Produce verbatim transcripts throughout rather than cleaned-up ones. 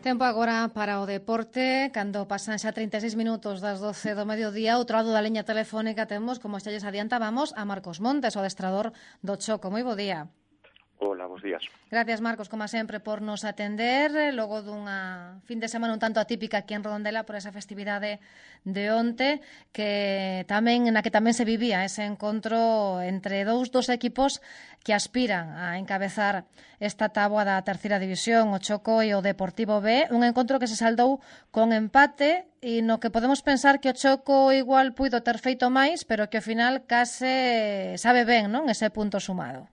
Tempo agora para o deporte, cando pasan xa trinta e seis minutos das doce do mediodía. Outro lado da liña telefónica temos, como xa lles adiantábamos, a Marcos Montes, o adestrador do Choco. Moi bo día. Hola, bons días. Gracias, Marcos, como sempre, por nos atender logo dunha fin de semana un tanto atípica aquí en Redondela por esa festividade de onte, que tamén na que tamén se vivía ese encontro entre dous dos equipos que aspiran a encabezar esta táboa da terceira división, o Choco e o Deportivo B, un encontro que se saldou con empate e no que podemos pensar que o Choco igual puido ter feito máis, pero que ao final case sabe ben, non, ese punto sumado.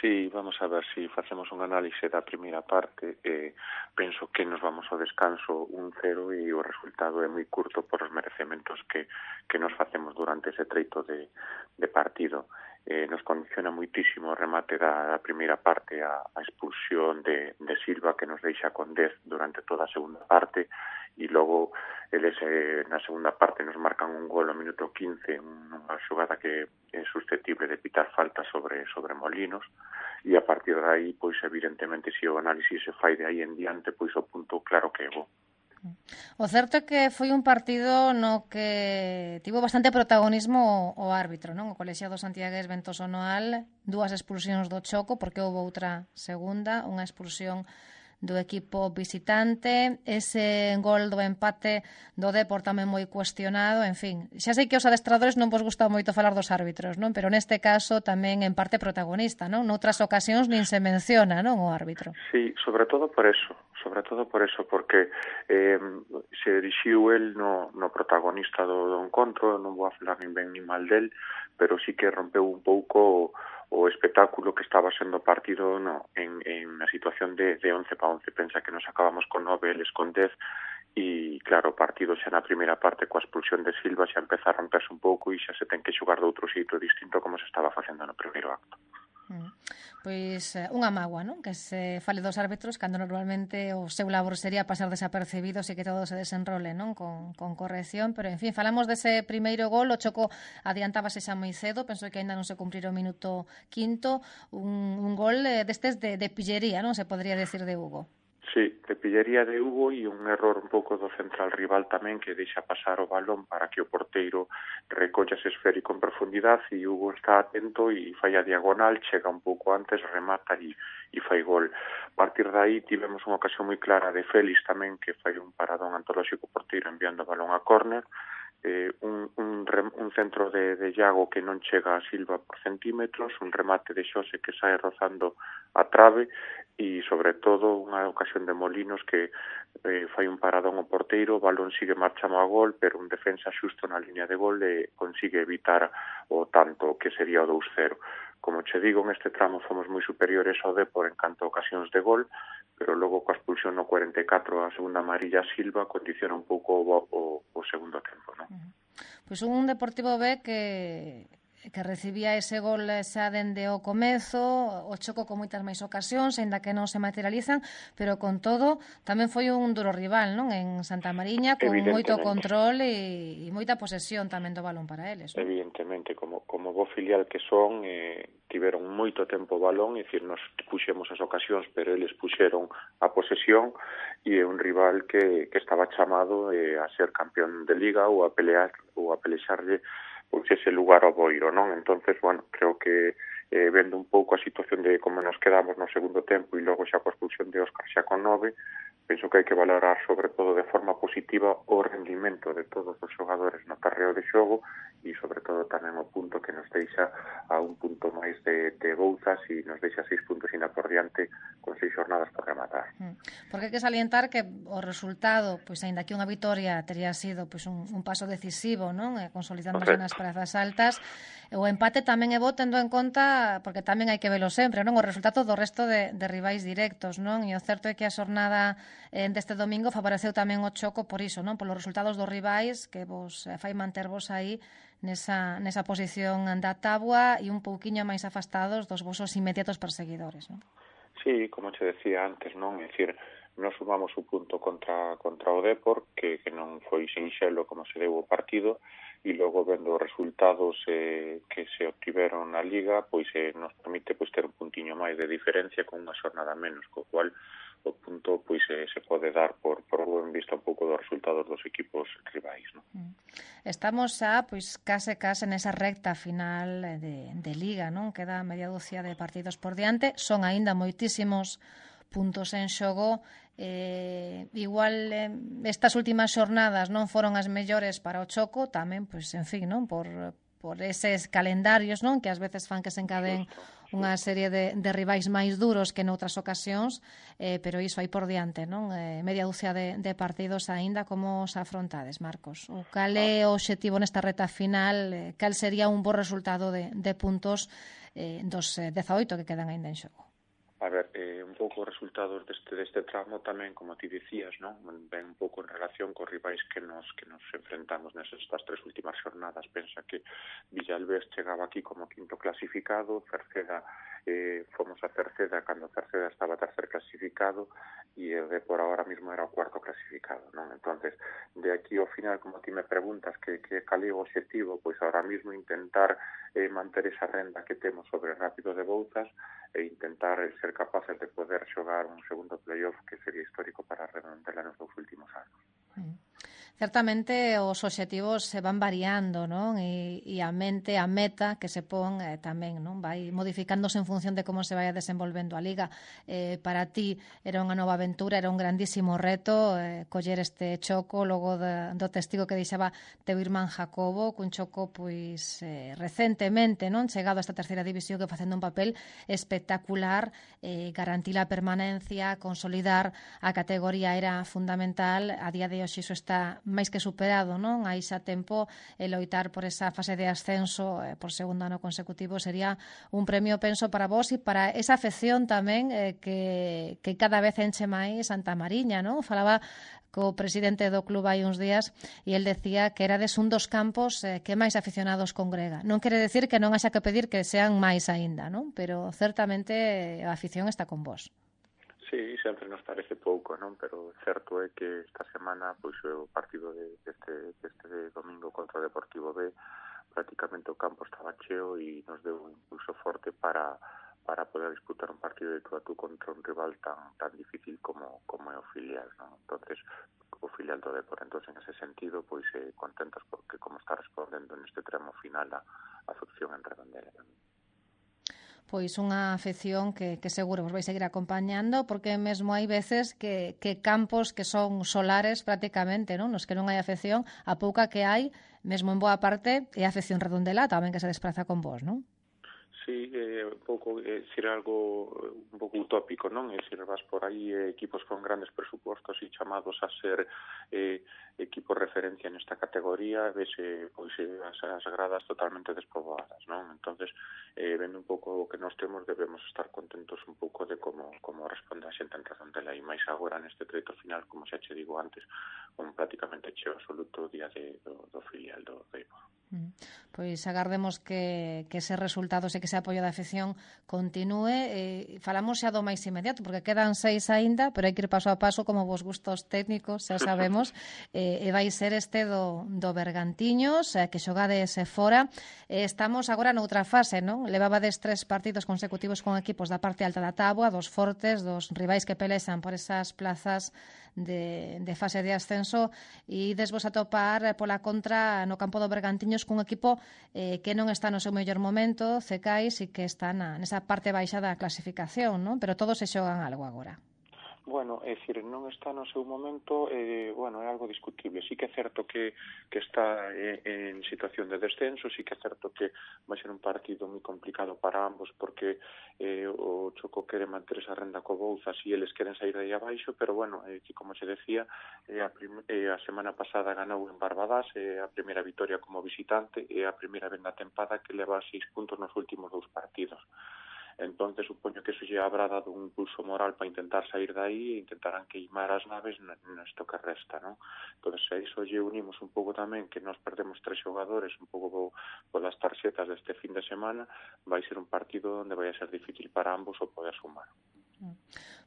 Sí, vamos a ver se si facemos un análise da primeira parte. Eh, penso que nos vamos ao descanso un cero e o resultado é moi curto por os merecementos que, que nos facemos durante ese treito de, de partido. Eh, nos condiciona moitísimo o remate da, da primeira parte, a, a expulsión de, de Silva, que nos deixa con dez durante toda a segunda parte, e logo eles eh, na segunda parte nos marcan un gol ao minuto quince, unha xogada que é susceptible de pitar falta sobre, sobre Molinos, e a partir de aí, pois evidentemente, se o análisis se fai de aí en diante, pois o punto claro que é bo. O certo é que foi un partido no que tivo bastante protagonismo o, o árbitro, non? O colexiado santiagués Ventoso Noal, dúas expulsións do Choco, porque houve outra segunda, unha expulsión do equipo visitante, ese gol do empate do Depor tamén moi cuestionado, en fin. Xa sei que os adestradores non vos gusta moito falar dos árbitros, non? Pero neste caso tamén en parte protagonista, non? Noutras ocasións nin se menciona, non, o árbitro. Sí, sobre todo por eso, sobre todo por eso, porque eh, se dirixiu el no, no protagonista do, do encontro, non vou a falar nin ben nin mal del, pero sí que rompeu un pouco o espectáculo que estaba sendo partido no, en, en a situación de, de once para once. Pensa que nos acabamos con nove, eles con dez, e claro, o partido xa na primeira parte coa expulsión de Silva xa empeza a romperse un pouco e xa se ten que xogar de outro xeito distinto como se estaba facendo no primeiro acto. Mm. Pois unha mágoa, non? Que se fale dos árbitros cando normalmente o seu labor sería pasar desapercibidos e que todo se desenrole, non? Con, con corrección, pero en fin, falamos dese primeiro gol, o Choco adiantábase xa moi cedo, penso que aínda non se cumprira o minuto quinto, un, un gol destes de, de pillería, non? Se podría decir de Hugo. Sí, de pillería de Hugo e un error un pouco do central rival tamén, que deixa pasar o balón para que o porteiro recolla ese esférico en profundidade, e Hugo está atento e fai a diagonal, chega un pouco antes, remata e, e fai gol. A partir de aí tivemos unha ocasión moi clara de Félix tamén, que fai un paradón antolóxico porteiro enviando o balón a córner, eh, un, un, un centro de, de Iago que non chega a Silva por centímetros, un remate de Xose que sae rozando a trave, e sobre todo unha ocasión de Molinos que eh, fai un paradón ao porteiro, o balón sigue marchando a gol, pero un defensa xusto na línea de gol e consigue evitar o tanto que sería o dous cero. Como che digo, en este tramo fomos moi superiores ao Depor en canto a ocasións de gol, pero logo coa expulsión no cuarenta e catro a segunda amarilla Silva condiciona un pouco o, o, o segundo tempo, non? Pois un Deportivo B que que recibía ese gol xa dende o comezo, o Choco con moitas máis ocasións, aínda que non se materializan, pero con todo tamén foi un duro rival, non? En Santa Mariña, con moito control e, e moita posesión tamén do balón para eles, non? Evidentemente, como, como bo filial que son, eh, tiveron moito tempo o balón, é dicir, nos puxemos as ocasións, pero eles puxeron a posesión, e é un rival que, que estaba chamado eh, a ser campeón de Liga ou a pelear ou a pelexarlle pois ese lugar ao Boiro, non? Entonces, bueno, creo que eh, vendo un pouco a situación de como nos quedamos no segundo tempo e logo xa coa expulsión de Óscar xa con nove, penso que hai que valorar sobre todo de forma positiva o rendimento de todos os xogadores no terreo de xogo e sobre todo tamén o punto que nos deixa a un punto máis de, de Bouzas e nos deixa seis puntos ainda por diante con seis jornadas por rematar. Porque hai que salientar que o resultado, pois aínda que unha vitoria teria sido pois un, un paso decisivo, non? E consolidándose okay. nas prazas altas, o empate tamén é bo tendo en conta, porque tamén hai que velo sempre, non? O resultado do resto de, de rivais directos, non? E o certo é que a xornada eh, deste domingo favoreceu tamén o Choco por iso, non? Polos resultados dos rivais que vos eh, fai mantervos aí nesa, nesa posición da táboa e un pouquiño máis afastados dos vosos inmediatos perseguidores, non? Sí, como te decía antes, non? É dicir, nos sumamos un punto contra contra o Depor, que, que non foi sinxelo como se deu o partido, e logo vendo os resultados eh, que se obtiveron na Liga, pois eh, nos permite pois ter un puntiño máis de diferencia con unha xornada menos, co cual o punto pois eh, se pode dar por, por en vista un pouco dos resultados dos equipos rivais, non? Estamos xa, pois, case case nesa recta final de, de Liga, non? Queda media dúcia de partidos por diante, son aínda moitísimos puntos en xogo. Eh, igual eh, estas últimas xornadas non foron as mellores para o Choco, tamén, pois, en fin, non? Por, por eses calendarios, non? Que ás veces fan que se encaden unha serie de, de rivais máis duros que noutras ocasións, eh, pero iso hai por diante, non? Eh, media dúcia de, de partidos aínda. Como os afrontades, Marcos? O cal é o obxectivo nesta reta final? Eh, cal sería un bo resultado de, de puntos eh, dos eh, dezaoito que quedan aínda en xogo? A ver, eh, un pouco os resultados deste, deste tramo tamén, como ti dicías, non? Ven un pouco en relación cos rivais que nos que nos enfrentamos nestas tres últimas jornadas. Pensa que Villalbés chegaba aquí como quinto clasificado, Cerceda, eh, fomos a Cerceda cando Cerceda estaba tercer clasificado e o de por ahora mismo era o cuarto clasificado, non? Entonces, de aquí ao final, como ti me preguntas que, que cal é o objetivo, pois ahora mismo intentar eh, manter esa renda que temos sobre Rápido de Bouzas e intentar ser capaces de poder xogar un segundo playoff que sería histórico para a Redondela nos dous últimos anos. Mm. Certamente os obxectivos se van variando, non? E, e a mente, a meta que se pon eh, tamén, non? Vai modificándose en función de como se vai desenvolvendo a Liga. Eh, para ti era unha nova aventura, era un grandísimo reto eh, coller este Choco logo de, do testigo que deixaba teu irmán Jacobo, cun Choco pois eh, recentemente, non? Chegado a esta terceira división, que facendo un papel espectacular, eh, garantir a permanencia, consolidar a categoría era fundamental. A día de hoxe iso está máis que superado, non? Hai xa tempo e loitar por esa fase de ascenso eh, por segundo ano consecutivo sería un premio, penso, para vos e para esa afección tamén eh, que, que cada vez enche máis Santa Mariña, non? Falaba co presidente do club hai uns días e el decía que erades un dos campos eh, que máis aficionados congrega. Non quere decir que non haxa que pedir que sean máis aínda, non? Pero certamente a afición está con vos. Sí, sempre nos parece pouco, non? Pero certo é que esta semana pois o partido de, deste, deste domingo contra o Deportivo B, prácticamente o campo estaba cheo e nos deu un impulso forte para para poder disputar un partido de tú a tú contra un rival tan tan difícil como como é o filial, non? Entonces, o filial do Depor. Entonces, en ese sentido, pois eh, contentos porque como está respondendo neste tramo final a afección en Redondela tamén. Pois unha afección que, que seguro vos vai seguir acompañando, porque mesmo hai veces que, que campos que son solares prácticamente, non? Nos que non hai afección, a pouca que hai, mesmo en boa parte, é a afección Redondela tamén que se despraza con vos, non? Sí, eh, un pouco, é dicir, algo un pouco utópico, non? É dicir, vas por aí eh, equipos con grandes presupostos e chamados a ser eh, equipos referencia nesta categoría, vese pois, as, as gradas totalmente despoboadas, non? Entonces, eh, vendo un pouco o que nos temos, debemos estar contentos un pouco de como, como responde a xente en Redondela e máis agora neste treito final, como xa che digo antes, un prácticamente cheo absoluto o día de, do, do filial do Depor. Pois agardemos que, que ese resultado, ese que ese apoio da afección continúe. Eh, falamos xa do máis inmediato, porque quedan seis aínda, pero hai que ir paso a paso como vos gustos técnicos, xa sabemos. eh, e vai ser este do, do Bergantiños, eh, que xogades fora. Eh, estamos agora noutra fase, non? Levabades tres partidos consecutivos con equipos da parte alta da táboa, dos fortes, dos rivais que pelexan por esas plazas de, de fase de ascenso, e desvos a topar pola contra no campo do Bergantiños cun equipo eh, que non está no seu mellor momento, Cecais, e que está na, nesa parte baixa da clasificación, non? Pero todos se xogan algo agora. Bueno, é dicir, non está no seu momento, eh, bueno, é algo discutible. Sí que é certo que, que está en, en situación de descenso, sí que é certo que vai ser un partido moi complicado para ambos, porque eh, o Choco quere manter esa renda co Bouzas e eles queren sair de aí abaixo, pero bueno, eh, que como se decía, eh, a, prim, eh, a semana pasada ganou en Barbadás, eh, a primeira vitoria como visitante, e a primeira vez na tempada que leva seis puntos nos últimos dous partidos. Entonces supoño que eso lle habrá dado un impulso moral para intentar sair de aí e intentarán queimar as naves nesto que resta, non? Entonces a iso lle unimos un pouco tamén que nos perdemos tres xogadores un pouco polas tarxetas deste fin de semana, vai ser un partido onde vai a ser difícil para ambos o poder sumar.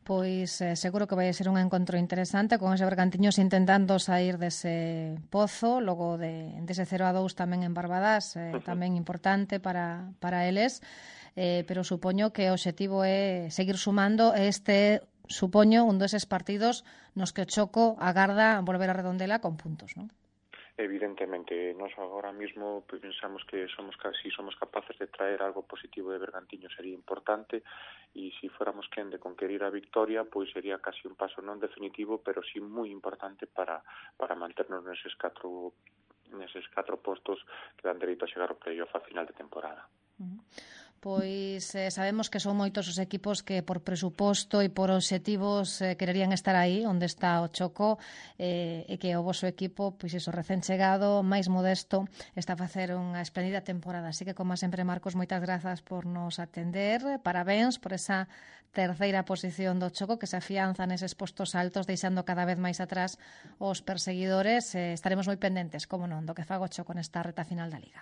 Pois eh, seguro que vai ser un encontro interesante con ese Bergantiños intentando sair dese pozo, logo de dese cero a dous tamén en Barbadás, eh, uh-huh. tamén importante para, para eles. Eh, pero supoño que o obxectivo é seguir sumando. Este supoño, un deses partidos nos que o Choco agarda volver a Redondela con puntos, non? Evidentemente, nós agora mismo pues, pensamos que somos si somos capaces de traer algo positivo de Bergantiños sería importante, e si fuéramos quen de conquerir a victoria, pois sería casi un paso non definitivo, pero sí moi importante para, para manternos neses catro neses catro postos que dan dereito a chegar ao playoff a final de temporada. Uh-huh. Pois eh, sabemos que son moitos os equipos que por presuposto e por obxectivos eh, quererían estar aí onde está o Choco, eh, e que o voso equipo, pois iso, recén chegado, máis modesto, está a facer unha esplendida temporada. Así que, como sempre, Marcos, moitas grazas por nos atender, parabéns por esa terceira posición do Choco que se afianza neses postos altos, deixando cada vez máis atrás os perseguidores. Eh, estaremos moi pendentes, como non, do que faga o Choco nesta reta final da Liga.